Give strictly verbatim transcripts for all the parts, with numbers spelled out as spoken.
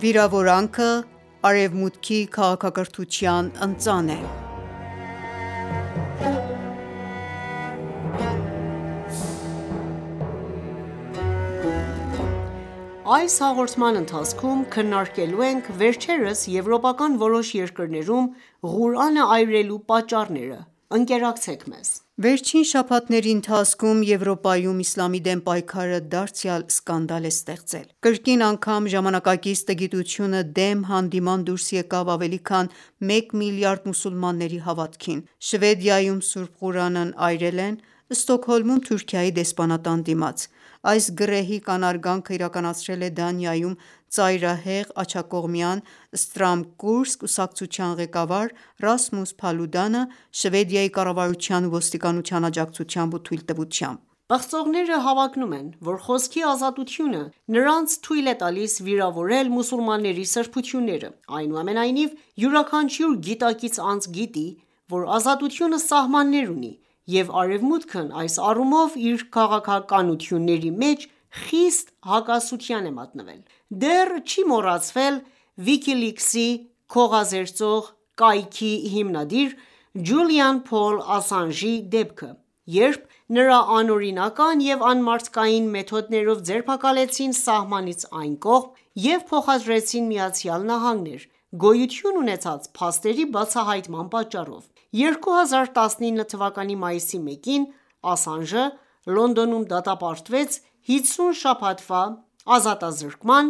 Վիրավորանքը Արևմուտքի քաղաքակրթության ընծան է։ Այս հաղորդման ընթացքում քննարկելու ենք վերջերս եվրոպական որոշ երկրներում Ղուրանը այրելու պատճառները: Ընկերակցեք մեզ: Վերջին շաբաթների ընթացքում Եվրոպայում իսլամի դեմ պայքարը դարձյալ սկանդալ է ստեղծել: Կրկին անգամ ժամանակակից տգիտությունը դեմ հանդիման դուրս եկավ ավելի քան մեկ միլիարդ մուսուլմանների հավատքին: Շվեդիայում Սուրբ Ղուրանն այրել են, Ստոկհոլմում Թուրքիայի դեսպանատան դիմաց: Այս գռեհիկ անարգանքը իրականացրել է Դանիայում ծայրահեղ աջակողմյան Ստրամկուրս կուսակցության ղեկավար Ռասմուս Փալուդանը Շվեդիայի կառավարության ու ոստիկանության աջակցությամբ ու թույլտվությամբ: Պղծողները հավակնում են, որ խոսքի ազատությունը նրանց թույլ է տալիս վիրավորել մուսուլմանների սրբությունները: Այնուամենայնիվ, յուրաքանչյուր գիտակից անձ գիտի, որ ազատությունը սահմաններ ունի, և Արևմուտքն այս առումով իր քաղաքականությունների մեջ խիստ հակասության է մատնվել: Դեռ չի մոռացվել WikiLeaks-ի քողազերծող կայքի հիմնադիր Ջուլիան Փոլ Ասանժի դեպքը, երբ նրա անօրինական և անմարդկային մեթոդներով ձերբակալեցին սահմանից այն կողմ և փոխադրեցին ԱՄՆ գոյություն ունեցած փաստերի բացահայտման պատճառով: երկու հազար տասնինը թվականի մայիսի մեկին Ասանժը Լոնդոնում դատապարտվեց հիսուն շաբաթվա ազատազրկման՝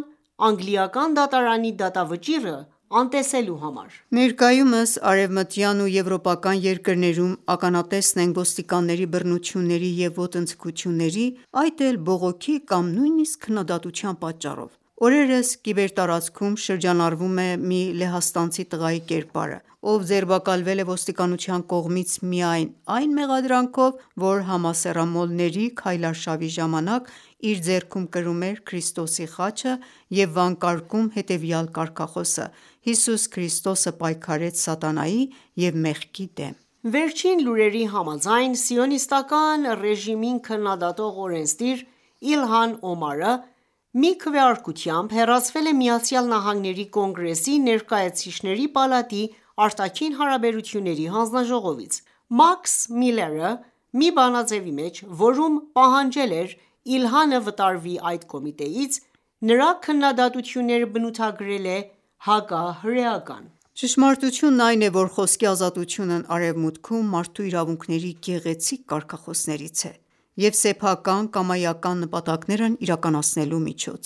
անգլիական դատարանի դատավճիռը անտեսելու համար: Ներկայումս արևմտյան ու եվրոպական երկրներում ականատեսն ենք ոստիկանների բռնությունների և ոտնձգությունների, այդ էլ բողոքի կամ նույնիսկ քննադատության պատճառով: Օրերս կիբերտարածքում շրջանառվում է մի լեհաստանցի տղայի կերպարը, ով ձերբակալվել է ոստիկանության կողմից միայն այն մեղադրանքով, որ համասեռամոլների քայլարշավի ժամանակ իր ձեռքում կրում էր Քրիստոսի խաչը և վանկարկում հետևյալ կարգախոսը՝ «Հիսուս Քրիստոսը պայքարեց սատանայի և մեղքի դեմ»: Վերջին լուրերի համաձայն, սիոնիստական ռեժիմին քննադատող օրենսդիր Իլհան Օմարը մի քվեարկությամբ հեռացվել է ԱՄՆ Կոնգրեսի Ներկայացուցիչների պալատի արտաքին հարաբերությունների հանձնաժողովից: Մաքս Միլլերը մի բանաձեւի մեջ, որում պահանջել էր Իլհանը վտարվի այդ կոմիտեից, նրա քննադատությունները բնութագրել է հակահրեական: Ճշմարտությունն այն է, որ խոսքի ազատությունն Արևմուտքում մարդու իրավունքների գեղեցիկ կարգախոսներից է և սեփական կամայական նպատակներն իրականացնելու միջոց: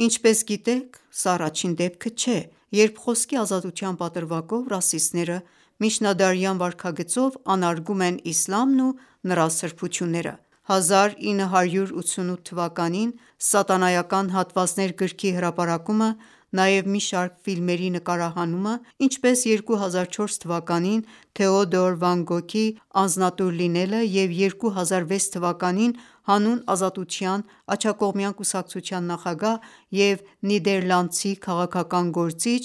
Ինչպես գիտեք, սա առաջին դեպքը չէ, երբ խոսքի ազատության պատրվակով ռասիստները միջնադարյան վարքագծով անարգում են իսլամն ու նրա սրբությունները: հազար ինը հարյուր ութսունութ թվականին «Սատանայական հատվածներ» գրքի հրապարակումը, նաև մի շարք ֆիլմերի նկարահանումը, ինչպես երկու հազար չորս թվականին Թեոդոր Վան Գոգի «Անձնատուր լինելը» և երկու հազար վեց թվականին հանուն ազատության աջակողմյան կուսակցության նախագահ և նիդերլանդցի քաղաքական գործիչ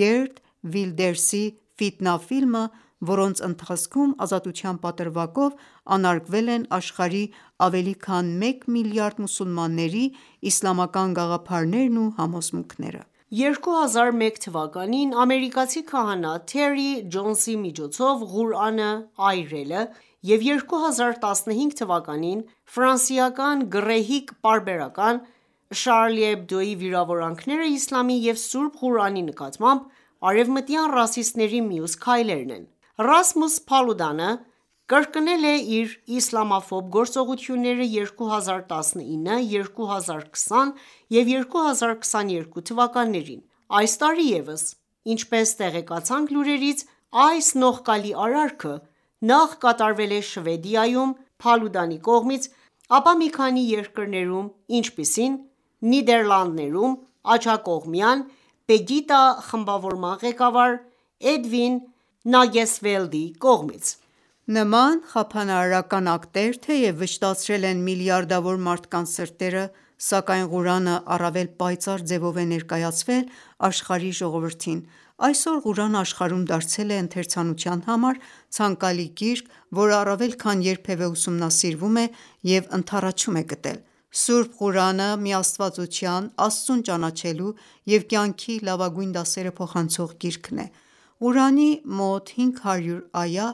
Գերտ Վիլդերսի «Ֆիտնա» ֆիլմը, որոնց ընթացքում ազատության պատրվակով անարգվել են աշխարհի ավելի քան մեկ միլիարդ մուսուլմանների իսլամական գաղափարներն ու համոզմունքները: երկու հազար մեկ թվականին ամերիկացի քահանա Թերի Ջոնսի միջոցով Ղուրանը այրելը և երկու հազար տասնհինգ թվականին ֆրանսիական գռեհիկ պարբերական Շարլի Էբդոյի վիրավորանքները իսլամի և Սուրբ Ղուրանի նկատմամբ արևմտյան ռասիստների մյուս քայլերն են: Ռասմուս Փալուդանը կրկնել է իր իսլամաֆոբ գործողությունները երկու հազար տասնինը, երկու հազար քսան և երկու հազար քսաներկու թվականներին: Այս տարի ևս, ինչպես տեղեկացանք լուրերից, այս նողկալի արարքը նախ կատարվել է Շվեդիայում Փալուդանի կողմից, ապա մի քանի երկրներում, ինչպիսին Նիդերլանդներում աջակողմյան Պեգիտա խմբավորման ղեկավար Էդվին Նագեսվելդի կողմից: Նման խափանարարական ակտեր թեև վշտացրել են միլիարդավոր մարդկանց սրտերը, սակայն Ղուրանը առավել պայծառ ձևով է ներկայացվել աշխարհի ժողովրդին: Այսօր Ղուրանը աշխարհում դարձել է ընթերցանության համար ցանկալի գիրք, որը առավել քան երբևէ ուսումնասիրվում է և ընդառաջում է գտել: Սուրբ Ղուրանը միաստվածության, Աստծուն ճանաչելու և կյանքի լավագույն դասերը փոխանցող գիրքն է: Ղուրանի մոտ հինգ հարյուր այա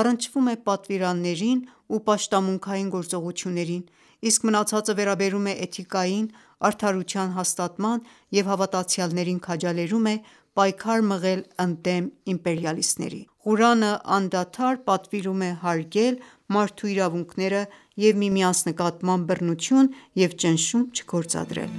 առնչվում է պատվիրաններին ու պաշտամունքային գործողություններին, իսկ մնացածը վերաբերում է էթիկային, արդարության հաստատման և հավատացյալներին քաջալերում է պայքար մղել ընդդեմ իմպերիալիստների: Ղուրանը անդադար պատվիրում է հարգել մարդու իրավունքները և միմյանց նկատմամբ բռնություն և ճնշում չգործադրել: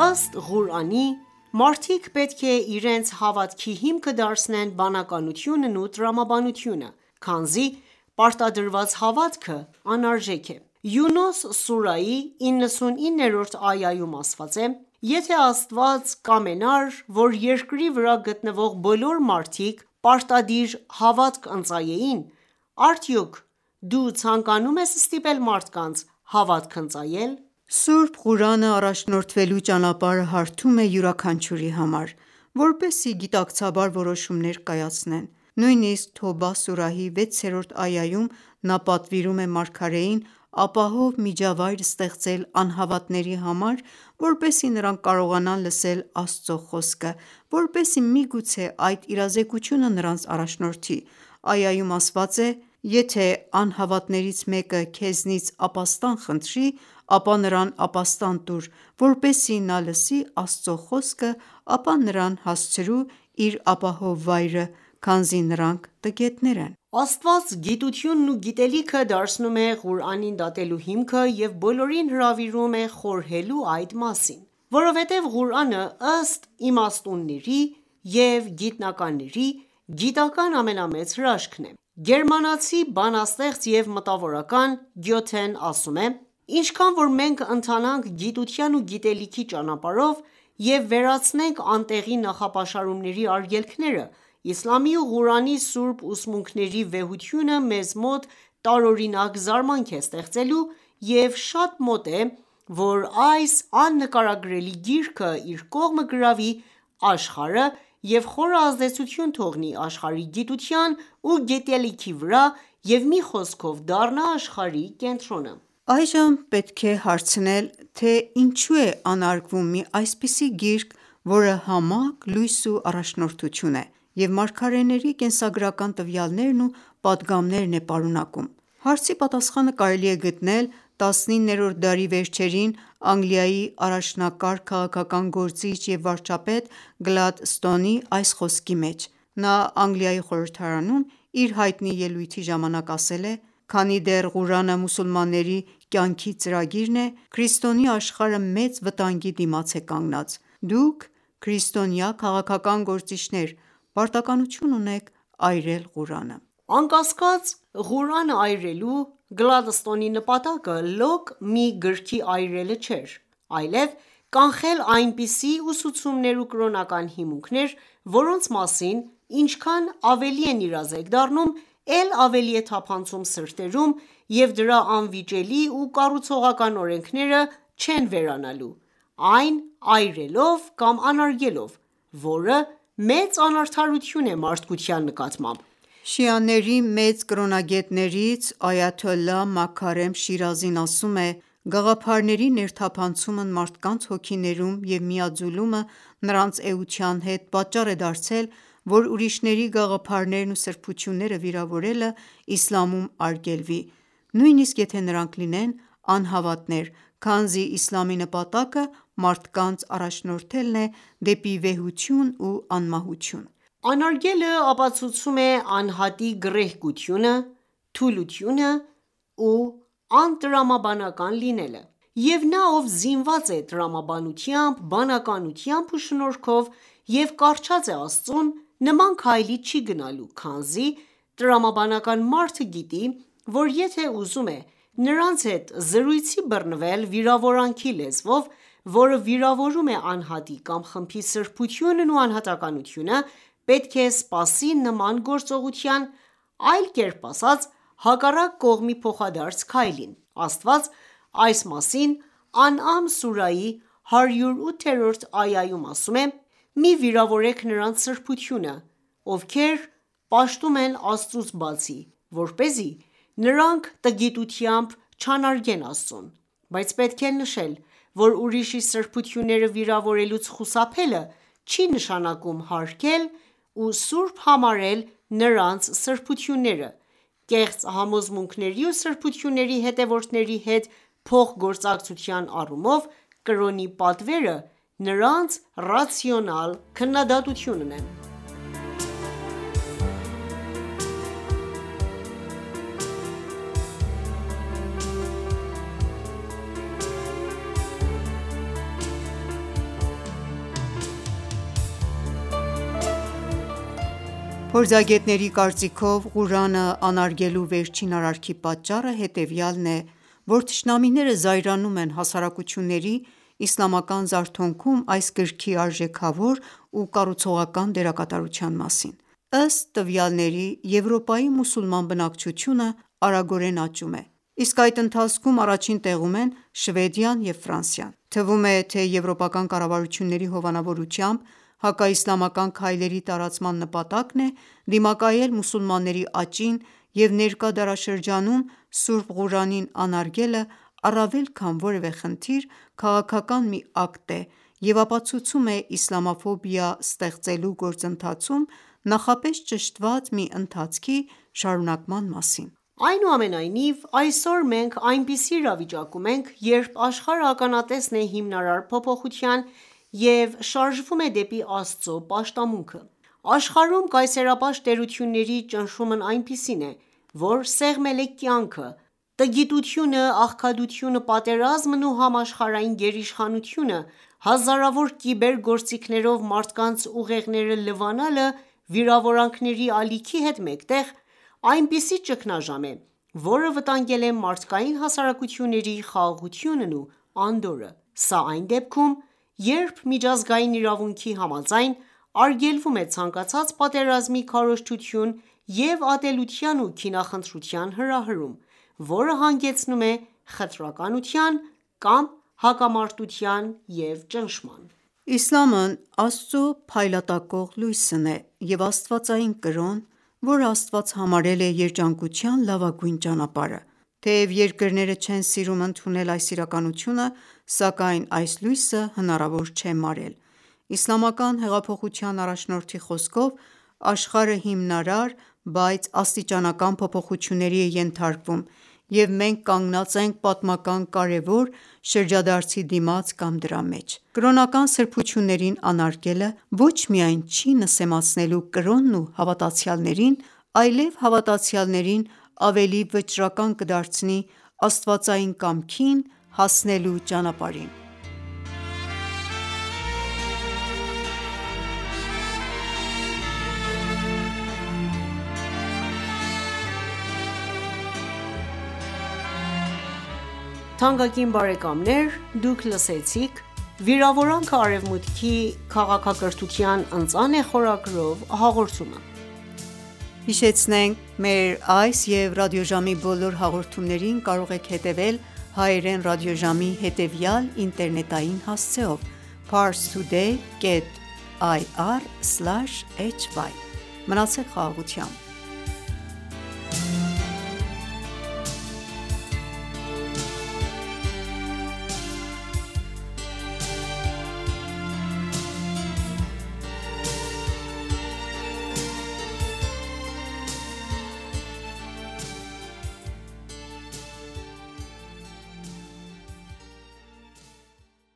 Ըստ Ղուրանի, մարդիկ պետք է իրենց հավատքի հիմքը դարձնեն բանականությունն ու տրամաբանությունը, քանզի պարտադրված հավատքը անարժեք է: Յունուս սուրայի իննսունիններորդ այայում ասված է. «Եթե Աստված կամենար, որ երկրի վրա գտնվող բոլոր մարդիկ պարտադիր հավատք ընծայեին, արդյոք դու ցանկանում ես ստիպել մարդկանց հավատք ընծայել»: Սուրբ Ղուրանը առաջնորդվելու ճանապարհը հարթում է յուրաքանչյուրի համար, որպեսզի գիտակցաբար որոշումներ կայացնեն: Նույնիսկ Թոբա սուրահի վեցերորդ այայում նա պատվիրում է մարգարեին ապահով միջավայր ստեղծել անհավատների համար, որպեսզի նրանք կարողանան լսել Աստծո խոսքը, որպեսզի միգուցե այդ իրազեկությունը նրանց առաջնորդի: Այայում ասված է. «Եթե անհավատներից մեկը քեզնից ապաստան խնդրի, ապա նրան ապաստան տուր, որպեսզի նա լսի Աստծո խոսքը, ապա նրան հասցրու իր ապահով վայրը, քանզի նրանք տգետներ են»: Աստված գիտությունն ու գիտելիքը դարձնում է Ղուրանին դատելու հիմքը և բոլորին հրավիրում է խորհելու այդ մասին: Որովհետև Ղուրանը, ըստ իմաստունների և գիտնականների, գիտական ամենամեծ հրաշքն է: Գերմանացի բանաստեղծ և մտավորական Գյոթեն ասում է. «Ինչքան որ մենք ընթանանք գիտության ու գիտելիքի ճանապարհով և վերացնենք անտեղի նախապաշարումների արգելքները, իսլամի ու Ղուրանի սուրբ ուսմունքների վեհությունը մեզ մոտ տարօրինակ զարմանք է ստեղծելու և շատ մոտ է, որ այս աննկարագրելի գիրքը իր կողմը գրավի աշխարհը և խորը ազդեցություն թողնի աշխարհի գիտության ու գիտելիքի վրա և մի խոսքով դառնա աշխարհի կենտրոնը»: Այժմ պետք է հարցնել, թե ինչու է անարգվում մի այսպիսի գիրք, որը համակ լույս ու առաջնորդություն է և մարգարեների կենսագրական տվյալներն ու պատգամներն է պարունակում: Հարցի պատասխանը կարելի է գտնել տասնիններորդ դարի վերջերին Անգլիայի առաջնակարգ քաղաքական գործիչ և վարչապետ Գլադստոնի այս խոսքի մեջ: Նա Անգլիայի խորհրդարանում իր հայտնի ելույթի ժամանակ ասել է. «Քանի դեռ Ղուրանը մուսուլմանների կյանքի ծրագիրն է, քրիստոնյա աշխարհը մեծ վտանգի դիմաց է կանգնած: Դուք քրիստոնյա քաղաքական գործիչներ պարտականություն ունեք այրել Ղուրանը»: Անկասկած, Ղուրանը այրելու Գլադստոնի նպատակը լոկ մի գրքի այրելը չէր, այլև կանխել այնպիսի ուսուցումներ ու կրոնական հիմունքներ, որոնց մասին ինչքան ավելի են իրազեկ դառնում, էլ ավելի է թափանցում սրտերում և դրա անվիճելի ու կառուցողական օրենքները չեն վերանալու, այն այրելով կամ անարգելով, որը մեծ անարդարություն է մարդկության նկատմամբ: Շիաների մեծ կրոնագետներից Այաթոլլահ Մաքարեմ Շիրազին ասում է. «Գաղափարների ներթափանցումն մարդկանց հոգիներում և միաձուլումը նրանց էության հետ պատճառ է դարձել, որ ուրիշների գաղափարներն ու սրբությունները վիրավորելը իսլամում արգելվի, նույնիսկ եթե նրանք լինեն անհավատներ, քանզի իսլամի նպատակը մարդկանց առաջնորդելն է դեպի վեհություն ու անմահություն»: Անարգելը ապացուցում է անհատի գռեհկությունը, թուլությունը ու անտրամաբանական լինելը: Եվ նա, ով զինված է տրամաբանությամբ, բանականությամբ ու շնորհքով և կառչած է Աստծուն, նման քայլի չի գնալու, քանզի տրամաբանական մարդը գիտի, որ եթե ուզում է նրանց հետ զրույցի բռնվել վիրավորանքի լեզվով, որը վիրավորում է անհատի կամ խմբի սրբությունն ու անհատականությունը, պետք է սպասի նման գործողության, այլ կերպ ասած, հակառակ կողմի փոխադարձ քայլին: Աստված այս մասին Ան'ամ սուրահի հարյուր ութերորդ այայում ասում է. «Մի վիրավորեք նրանց սրբությունը, ովքեր պաշտում են Աստծուց բացի, որպեսզի նրանք տգիտությամբ չանարգեն Աստծուն: Բայց պետք է նշել, որ ուրիշի սրբությունները վիրավորելուց խուսափելը չի նշանակում հարգել ու սուրբ համարել նրանց սրբությունները: Կեղծ համոզմունքների ու սրբությունների հետևորդների հետ փոխգործակցության առումով կրոնի պատվերը նրանց ռացիոնալ քննադատությունն է»: Փորձագետների կարծիքով, Ղուրանը անարգելու վերջին արարքի պատճառը հետևյալն է, որ թշնամիները զայրանում են հասարակությունների իսլամական զարթոնքում այս գրքի արժեքավոր ու կառուցողական դերակատարության մասին: Ըստ տվյալների, Եվրոպայի մուսուլման բնակչությունը արագորեն աճում է, իսկ այդ ընթացքում առաջին տեղում են Շվեդիան և Ֆրանսիան: Թվում է, թե եվրոպական կառավարությունների հովանավորությամբ հակաիսլամական քայլերի տարածման նպատակն է դիմակայել մուսուլմանների աճին և ներկա դարաշրջանում Սուրբ Ղուրանին անարգելը առավել քան որևէ խնդիր, քաղաքական մի ակտ է և ապացուցում է իսլամաֆոբիա ստեղծելու գործընթացում նախապես ճշտված մի ընթացքի շարունակման մասին: Այնուամենայնիվ, այսօր մենք այնպիսի իրավիճակում ենք, երբ աշխարհը ականատեսն է հիմնարար փոփոխության և շարժվում է դեպի Աստծո պաշտամունքը: Աշխարհում կայսերապաշտ տերությունների ճնշումն այնպիսին է, որ սեղմել է կյանքը, տգիտությունը, աղքատությունը, պատերազմն ու համաշխարհային գերիշխանությունը, հազարավոր կիբեր գործիքներով մարդկանց ուղեղները լվանալը վիրավորանքների ալիքի հետ մեկտեղ, այնպիսի ճգնաժամ է, որը վտանգել է մարդկային հասարակությունների խաղաղությունն ու անդորրը: Սա այն դեպքում, երբ միջազգային իրավունքի համաձայն արգելվում է ցանկացած պատերազմի քարոզչություն և ատելության ու քինախնդրության հրահրում, որը հանգեցնում է խտրականության կամ հակամարտության և ճնշման: Իսլամն Աստծո փայլատակող լույսն է և աստվածային կրոն, որը Աստված համարել է երջանկության լավագույն ճանապարհը: Թեև երկրները չեն սիրում ընդունել այս իրականությունը, սակայն այս լույսը հնարավոր չէ մարել: Իսլամական հեղափոխության առաջնորդի խոսքով, աշխարհը հիմնարար, բայց աստիճանական փոփոխությունների է ենթարկվում և մենք կանգնած ենք պատմական կարևոր շրջադարձի դիմաց կամ դրա մեջ: Կրոնական սրբություններին անարգելը ոչ միայն չի նսեմացնելու կրոնն ու հավատացյալներին, այլև հավատացյալներին ավելի վճռական կդարձնի աստվածային կամքին հասնելու ճանապարհին: «Վիրավորանքը Արևմուտքի քաղաքակրթության ընծան է» խորագրով հաղորդումը: Մեր այս և ռադիոժամի բոլոր հաղորդումներին կարող եք հետևել հայերեն ռադիոժամի հետևյալ ինտերնետային հասցեով՝ parstoday.ir/hy: Մնացեք խաղաղությամբ: